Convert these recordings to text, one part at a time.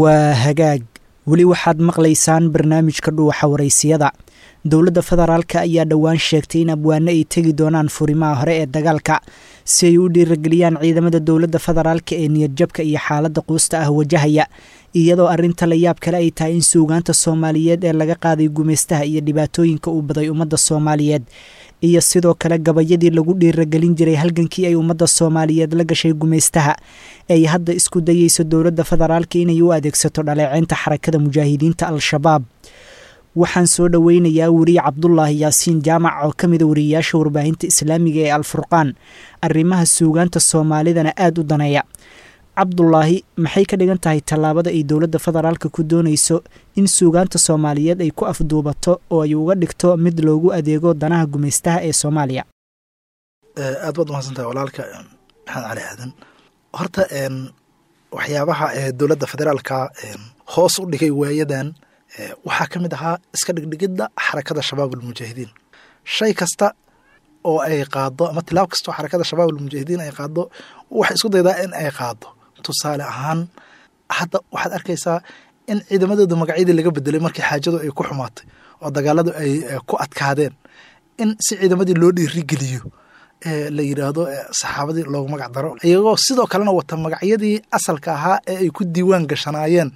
Waa hagaag, weli waxaad maqlaysaan barnaamijka Dhuuxa Waraysiyada. Dowladda federaalka ayaa dhowaan sheegtay in abwaano ay tegi doonaan furimaha hore ee dagaalka si ay u dhiirageliyaan ciidamada dowladda federaalka ee niyadjabka iyo xaaladda quusta ah wajahaya, iyadoo arrinta la yaab kale ay tahay in suugaanta Soomaaliyeed ee laga qaaday gumaystaha iyo dhibaatooyinka uu baday ummadda Soomaaliyeed, iyo sidoo kale gabayadii lagu dhiiragelin jiray halgankii ay ummadda Soomaaliyeed la gashay gumaystaha, ay hadda isku dayeyso dowladda federaalka inay u adeegsato dhaleeceynta Xarakada Mujaahidiinta Al-Shabaab. Waxaan soo dhoweynayaa weriye Cabdulaahi Yaasiin Jaamac oo ka mida wariyeyaasha warbaahinta islaamiga ee Alfurqaan, arrimaha suugaanta Soomaalidana aada u daneeya. Cabdulaahi, maxay ka dhigan tahay tallaabada ay dowladda federaalka ku doonayso in suugaanta Soomaaliyeed ay ku afduubato oo ay uga dhigto mid loogu adeego danaha gumaystaha ee Soomaaliya? Aad baad umahadsantahay, walaalka Maxamed Cali Aadan. Horta waxyaabaha dowladda federaalka hoos u dhigay waayadan waxaa ka mid ahaa iska dhigdhigidda Xarakada Shabaab Almujaahidiin. Shay kasta oo ay qaado ama tilaab kasta oo Xarakada Shabaab Almujaahidiin ay qaado, waxay isku daydaa in ay qaado. Tusaale ahaan, hadda waxaad arkaysaa in ciidamadooda magacyadii laga bedelay markii xaajadu ay ku xumaatay oo dagaaladu ay ku adkaadeen, in si ciidamadii loo dhiirigeliyo la yidhaahdo saxaabadii loogu magac daro, iyagoo sidoo kalena wata magacyadii asalka ahaa ee ay ku diiwaan gashanaayeen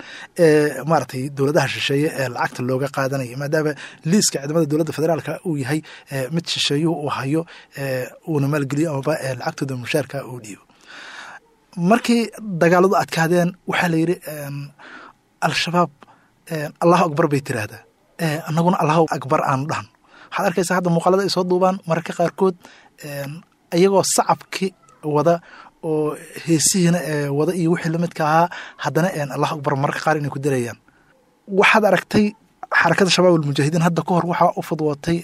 maaragtay dowladaha shisheeye ee lacagta looga qaadanaya, maadaama liiska ciidamada dowladda federaalka uu yahay mid shisheeyuhu uu hayo, uuna maalgeliyo amaba lacagtooda mushaarka uu dhiibo. Markii dagaaladu adkaadeen waxaa la yidhi Al-Shabaab Allahu akbar bay tiraahdaa, annaguna Allahu akbar aanu dhahno. Waxaad arkaysaa hadda muuqaalada ay soo duubaan mararka qaarkood iyagoo sacabki wada oo heesihiina wada iyo wixii lamidka ahaa, haddana Allahu akbar mararka qaar inay ku darayaan. Waxaad aragtay Xarakada Shabaab Almujaahidiin hadda ka hor waxaa u fudwootay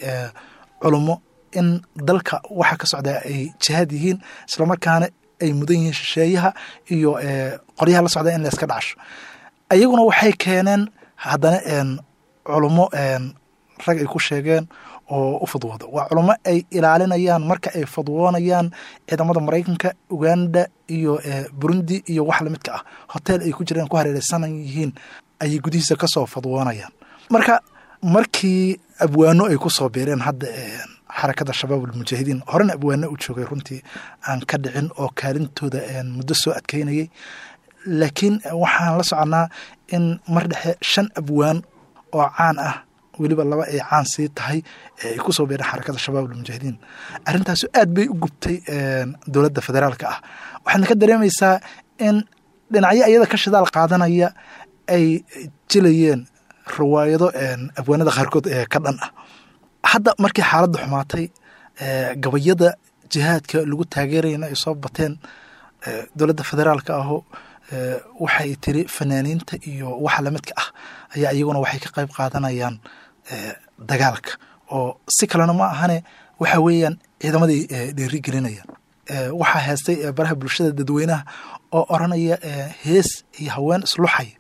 culummo in dalka waxa ka socdaa ay jihaad yihiin, islamarkaana ay mudan yihiin shisheeyaha iyo qoryaha la socdaa in la iska dhacasho. Ayaguna waxay keeneen haddana culummo rag ay ku sheegeen oo u fudwooda. Waa culummo ay ilaalinayaan marka ay fudwoonayaan ciidamada Maraykanka, Uganda iyo Burundi iyo wax lamidka ah. Hotel ay ku jireen ku hareereysanan yihiin ayay gudihiisa kasoo fudwoonayaan. Marka markii abwaano ay kusoo biireen hadda Xarakada Shabaab Almujaahidiin, horena abwaano u joogay runtii aan ka dhicin oo kaalintooda muddo soo adkeynayay, laakiin waxaan la soconnaa in mar dhexe shan abwaan oo caan ah, weliba laba ay caan sii tahay, ay kusoo biireen Xarakada Shabaab Almujaahidiin. Arrintaasu aad bay u gubtay dowladda federaalka ah, waxaadna ka dareemaysaa in dhinacyo iyada ka shidaal qaadanaya ay jilayeen riwaayado abwaanada qaarkood ee ka dhan ah. Hadda markii xaaladda xumaatay, gabayada jihaadka lagu taageerayana ay soo bateen, dowladda federaalka aho waxay tiri fanaaniinta iyo waxa lamidka ah ayaa iyaguna waxay ka qayb qaadanayaan dagaalka, oo si kalena ma ahane waxa weeyaan ciidamaday dhiiri gelinayaan. Waxaa heestay baraha bulshada dadweynaha oo oranaya hees iyo haween isluxaya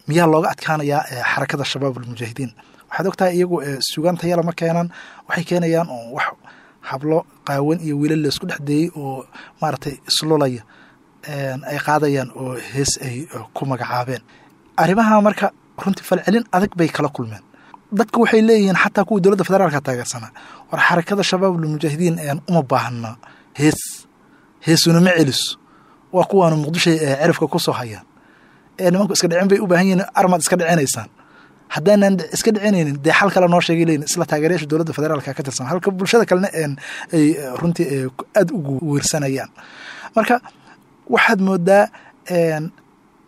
miyaa looga adkaanayaa Xarakada Shabaab Almujaahidiin? Waxaad ogtahay iyagu suugaan tayala ma keenaan, waxay keenayaan oo wax hablo qaawan iyo wiilal laisku dhex deeyey oo maaragtay islulaya ay qaadayaan oo hees ay ku magacaabeen. Arrimaha marka runtii falcelin adag bay kala kulmeen. Dadku waxay leeyihiin, xataa kuwa dowladda federaalka taageersanaa, war Xarakada Shabaab Almujaahidiin uma baahna hees, heesuna ma celiso, waa kuwaanu Muqdisho cirifka ku soo hayaan ee nimanku iska dhicin bay u baahan yihiin. Armaad iska dhicinaysaan? Haddaanan iska dhicinaynin dee xal kale noo sheegay leyin isla taageerayaasha dowladda federaalka ka tirsan, halka bulshada kalena ay runtii aada ugu wiirsanayaan. Marka waxaad moodaa,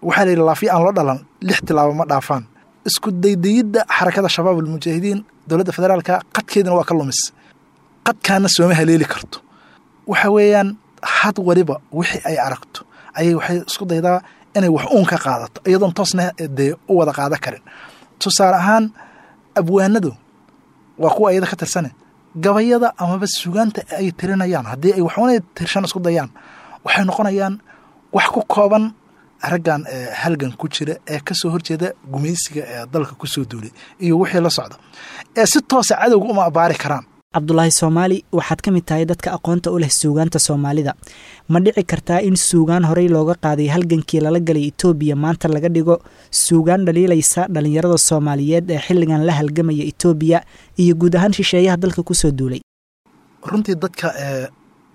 waxaa la yidhi laafiya aan loo dhalan lix tilaabo ma dhaafaan. Isku daydayidda Xarakada Shabaab Almujaahidiin dowladda federaalka qadkeedina waa ka lumis, qadkaana sooma haleeli karto. Waxa weeyaan had waliba wixii ay aragto ayay waxay isku daydaa inay wax uun ka qaadato, iyadoon toosna dee u wada qaada karin. Tusaale ahaan, abwaanadu waa kuwa iyada ka tirsane, gabayada amaba sugaanta ay tirinayaan haddii ay waxuuna tirshan isku dayaan, waxay noqonayaan wax ku kooban raggan halgan ku jira ee kasoo horjeeda gumaysiga ee dalka kusoo duulay iyo wixii la socda, ee si toosa cadowga uma abaari karaan. Cabdulaahi Soomaali, waxaad ka mid tahay dadka aqoonta u leh suugaanta Soomaalida. Ma dhici kartaa in suugaan horey looga qaaday halgankii lala galay Itoobiya maanta laga dhigo suugaan dhaliilaysa dhalinyarada Soomaaliyeed ee xilligan la halgamaya Itoobiya iyo guud ahaan shisheeyaha dalka kusoo duulay? Runtii dadka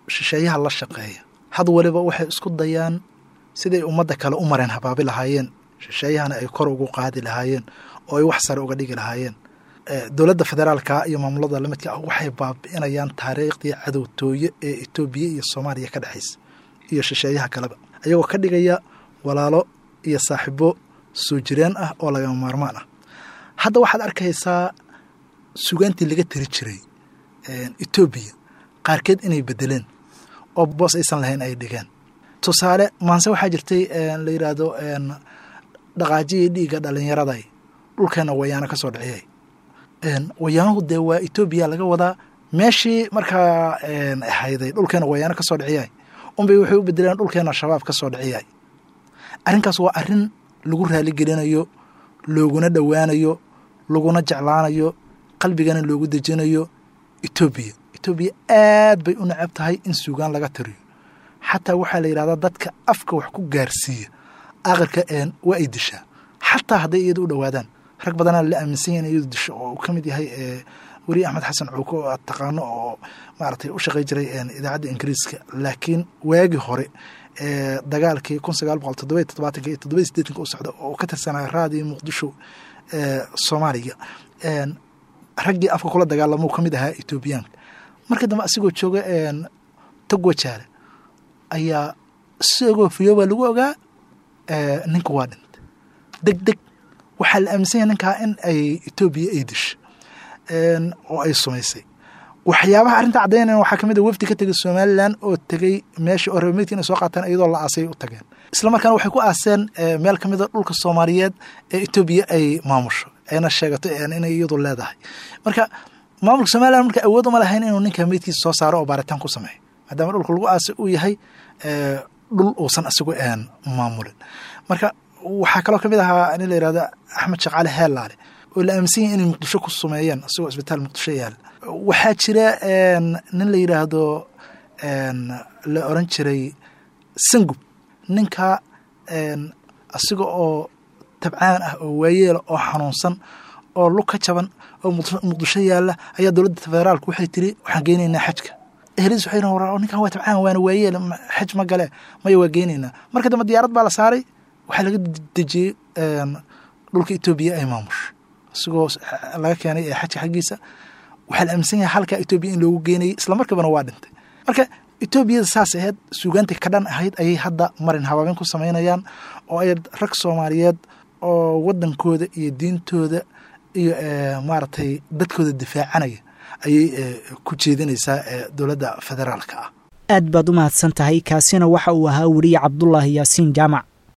shisheeyaha la shaqeeya had waliba waxay isku dayaan siday ummadda kale u mareen habaabi lahaayeen, shisheeyahana ay kor ugu qaadi lahaayeen oo ay wax sare uga dhigi lahaayeen. Dowladda federaalka iyo maamulada lamidka ah waxay baabi'inayaan taariikhdii cadowtooye ee Itoobiya iyo Soomaaliya ka dhexaysa iyo shisheeyaha kaleba, ayagoo ka dhigaya walaalo iyo saaxiibo soo jireen ah oo lagama maarmaan ah. Hadda waxaad arkaysaa sugaantii laga tiri jiray Itoobiya qaarkeed inay bedeleen oo boos aysan lahayn ay dhigeen. Tusaale, maanse waxaa jirtay la yidhaahdo dhaqaajiyii dhiigga dhalinyaraday dhulkeena wayaano ka soo dhiciyay. Wayaanuhu dee waa Etoobiya laga wadaa. Meeshii markaa hayday dhulkeena wayaano kasoo dhiciyay unbay waxay u bedeleen dhulkeena Shabaab kasoo dhiciyay. Arrinkaas waa arrin lagu raaligelinayo, looguna dhowaanayo, laguna jeclaanayo, qalbigana loogu dejinayo Etoobiya. Etoobiya aad bay u necab tahay in suugaan laga tiriyo. Xataa waxaa la yidhahdaa dadka afka wax ku gaarsiiya aakhirka waa ay dishaa, xataa hadday iyada u dhowaadaan. Rag badanaa la aaminsan yahay in iyadu disho, oo uu ka mid yahay weriye Axmed Xasan Cuuko oo aad taqaano oo maaragtay u shaqey jiray idaacadda Ingiriiska, laakiin waagii hore dagaalkii 1977 iyo 87 u socda oo ka tirsanaa Raadiyo Muqdisho Soomaaliya, raggii afka kula dagaalamuu ka mid ahaa Etoobiyaanka. Marka dambe asigoo jooga Togwajaale ayaa isagoo fiyoobaa lagu ogaa ninka waa dhintay deg deg. Waxaa la aaminsan yahay ninkaa in ay Etoobiya ay disho oo ay sumaysay. Waxyaabaha arrinta caddaynaya waxaa kamid a wafdi ka tegay Somalilan oo tegey meesha oo reer meydka inay soo qaataan, iyadoo la aasay u tageen. Isla markaana waxay ku aaseen meel kamid a dhulka Soomaaliyeed ee Etoobiya ay maamusho ayna sheegato inay iyadu leedahay. Marka maamulka Somalilan marka awood uma lahayn inuu ninka meydkiisa soo saaro oo baaritaan ku sameeyo, maadaama dhulka lagu aasay uu yahay dhul uusan isagu maamulin. Marka waxaa kaloo kamid ahaa nin la yihahdo Axmed Shaqaale Heelaale oo la aaminsan yahay inay Muqdisho ku sumeeyeen isagoo isbitaal Muqdisho yaala. Waxaa jira nin la yidhaahdo, la oran jiray Sangub, ninka asiga oo tabcaan ah oo waayeela oo xanuunsan oo lug ka jaban oo Muqdisho yaala ayaa dowladda federaalku waxay tiri waxaan geynaynaa xajka. Ehladiis waxay war ninkan waa tabcaan waana waayeel, xaj ma gale. Maya, waa geynaynaa. Marka dambe diyaarad baa la saaray, waxaa laga dejiyey dhulka Etoobiya ay maamusho isagoo laga keenay xajka xaggiisa. Waxaa la aaminsan yahay halka Etoobiya in loogu geenayay, isla markabana waa dhintay. Marka Etoobiyada saas ahayd, suugaantii ka dhan ahayd ayay hadda marin habaabin ku samaynayaan oo ay rag Soomaaliyeed oo wadankooda iyo diintooda iyo maaragtay dadkooda difaacanaya ayay ku jeedinaysaa dowladda federaalka ah. Aad baad u mahadsan tahay. Kaasina waxa uu ahaa weriye Cabdulaahi Yaasiin Jaamac.